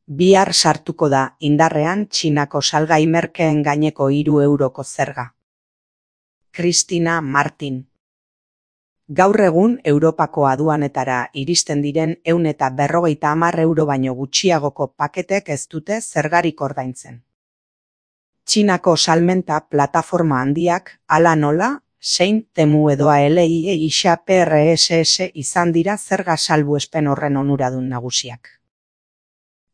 Bihar sartuko da indarrean Txinako salgai merkeen gaineko 3 euroko zerga. Cristina Martin. Gaur egun Europako aduanetara iristen diren 150 euro baino gutxiagoko paketek ez dute zergarik ordaintzen. Txinako salmenta plataforma handiak, hala nola, Shein, Temu edo AliExpress PRSS izan dira zerga salbuespen horren onuradun nagusiak.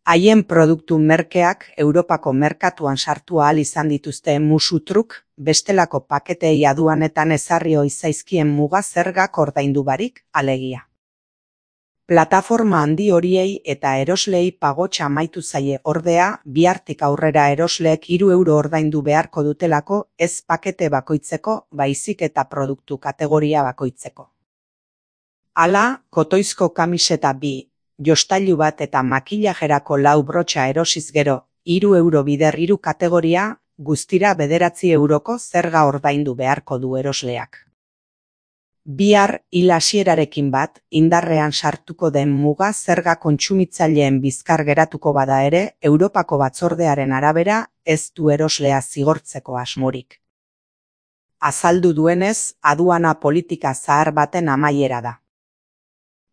Haien produktu merkeak Europako merkatuan sartu ahal izan dituzte musu truk, bestelako paketei aduanetan ezarri ohi zaizkien muga zergak ordaindu barik, alegia. Plataforma handi horiei eta erosleei pagotxa amaitu zaie ordea, bihartik aurrera erosleek 3 euro ordaindu beharko dutelako ez pakete bakoitzeko, baizik eta produktu kategoria bakoitzeko. Hala, kotoizko kamiseta 2, jostailu bat eta makillajerako 4 brotxa erosiz gero, 3 euro bider 3 kategoria, guztira 9 euroko zerga ordaindu beharko du erosleak. Bihar hil hasierarekin bat, indarrean sartuko den muga zerga kontsumitzaileen bizkar geratuko bada ere, Europako batzordearen arabera, ez du eroslea zigortzeko asmorik. Azaldu duenez, aduana politika zahar baten amaiera da.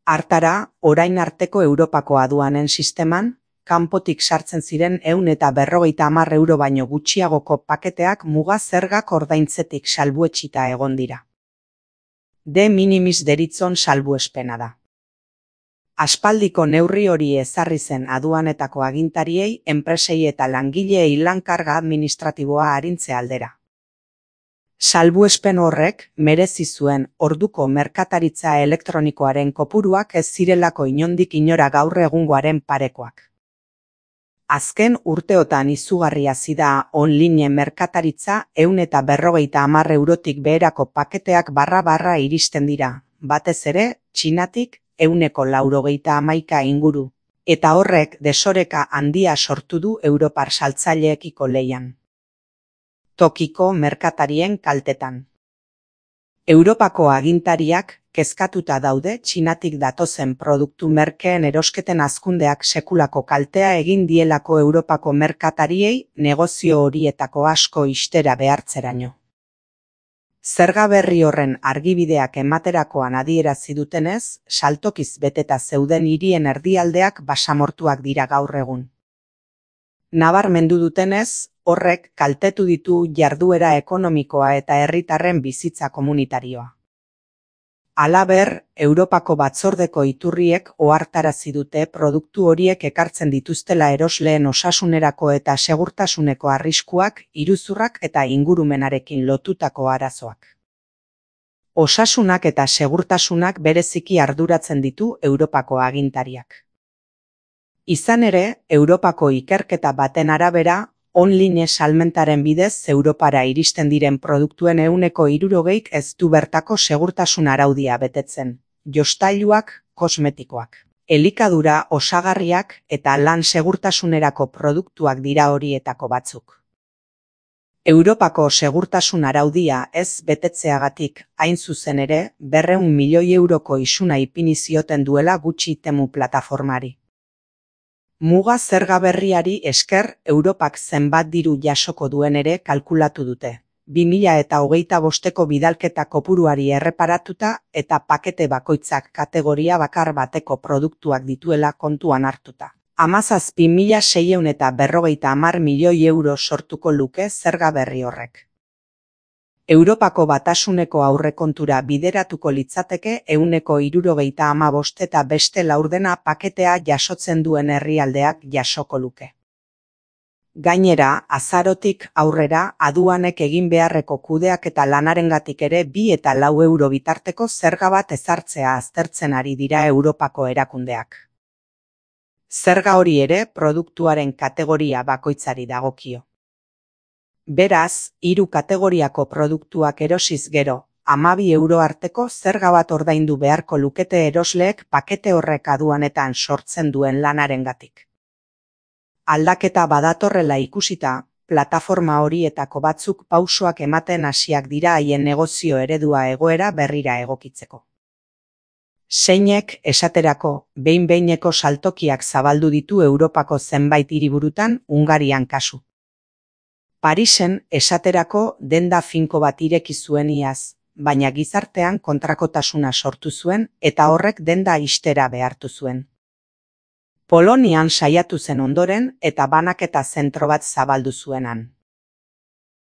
Hartara, orain arteko Europako aduanen sisteman, kanpotik sartzen ziren 150 euro baino gutxiagoko paketeak muga zergak ordaintzetik salbuetsita egon dira. De minimis deritzon salbuespena da. Aspaldiko neurri hori ezarri zen aduanetako agintariei, enpresei eta langileei lan-karga administratiboa arintze aldera. Salbuespen horrek merezi zuen orduko merkataritza elektronikoaren kopuruak ez zirelako inondik inora gaur egungoaren parekoak. Azken urteotan izugarri hasi da online merkataritza 150 eurotik beherako paketeak barra iristen dira, batez ere, Txinatik 191 inguru, eta horrek desoreka handia sortu du Europar saltzaileekiko lehian. Tokiko merkatarien kaltetan. Europako agintariak kezkatuta daude Txinatik datozen produktu merkeen erosketen hazkundeak sekulako kaltea egin dielako Europako merkatariei negozio horietako asko ixtera behartzeraino. Zerga berri horren argibideak ematerakoan adierazi dutenez, saltokiz beteta zeuden hirien erdialdeak basamortuak dira gaur egun. Nabarmendu dutenez, horrek kaltetu ditu jarduera ekonomikoa eta herritarren bizitza komunitarioa. Halaber, Europako batzordeko iturriek ohartarazi dute produktu horiek ekartzen dituztela erosleen osasunerako eta segurtasuneko arriskuak, iruzurrak eta ingurumenarekin lotutako arazoak. Osasunak eta segurtasunak bereziki arduratzen ditu Europako agintariak. Izan ere, Europako ikerketa baten arabera, online salmentaren bidez Europara iristen diren produktuen 60%k ez du bertako segurtasun araudia betetzen, jostailuak, kosmetikoak, elikadura, osagarriak eta lan segurtasunerako produktuak dira horietako batzuk. Europako segurtasun araudia ez betetzeagatik, hain zuzen ere, 200 milioi euroko isuna ipini zioten duela gutxi Temu plataformari. Muga zerga berriari esker Europak zenbat diru jasoko duen ere kalkulatu dute. 2025ko bidalketa kopuruari erreparatuta eta pakete bakoitzak kategoria bakar bateko produktuak dituela kontuan hartuta. 17.650 milioi euro sortuko luke zerga berri horrek. Europako batasuneko aurrekontura bideratuko litzateke 175 eta beste laurdena paketea jasotzen duen herrialdeak jasoko luke. Gainera, azarotik aurrera aduanek egin beharreko kudeaketa lanarengatik ere 2 eta 4 euro bitarteko zerga bat ezartzea aztertzen ari dira Europako erakundeak. Zerga hori ere produktuaren kategoria bakoitzari dagokio. Beraz, 3 kategoriako produktuak erosiz gero, 12 euro arteko zerga bat ordaindu beharko lukete erosleek pakete horrek aduanetan sortzen duen lanarengatik. Aldaketa badatorrela ikusita, plataforma horietako batzuk pausoak ematen hasiak dira haien negozio eredua egoera berrira egokitzeko. Zeinek, esaterako, behin-behineko saltokiak zabaldu ditu Europako zenbait hiriburutan, Hungarian kasu. Parisen, esaterako, denda finko bat ireki zuen iaz, baina gizartean kontrakotasuna sortu zuen eta horrek denda ixtera behartu zuen. Polonian saiatu zen ondoren eta banaketa zentro bat zabaldu zuenan.